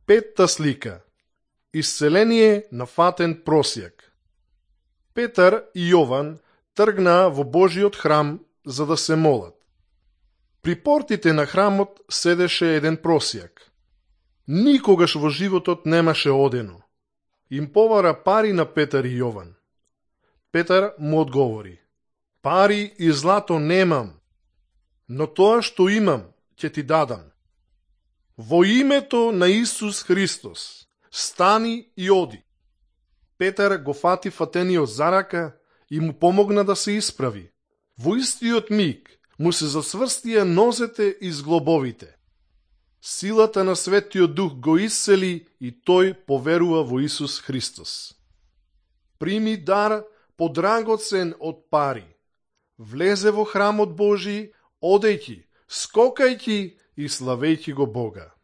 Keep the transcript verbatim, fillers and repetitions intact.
Петта слика. Исцеление на фатен просјак. Петар и Јован тргнаа во Божиот храм за да се молат. При портите на храмот седеше еден просјак. Никогаш во животот немаше одено. Им повара пари на Петар и Јован. Петар му одговори: пари и злато немам, но тоа што имам ќе ти дадам. Во името на Исус Христос, стани и оди. Петар го фати фатениот за рака и му помогна да се исправи. Во истиот миг му се засврстија нозете и зглобовите. Силата на Светиот Дух го исцели и тој поверува во Исус Христос. Прими дар подрагоцен од пари. Влезе во храмот Божи, одејќи, скокајќи и славејќи го Бога.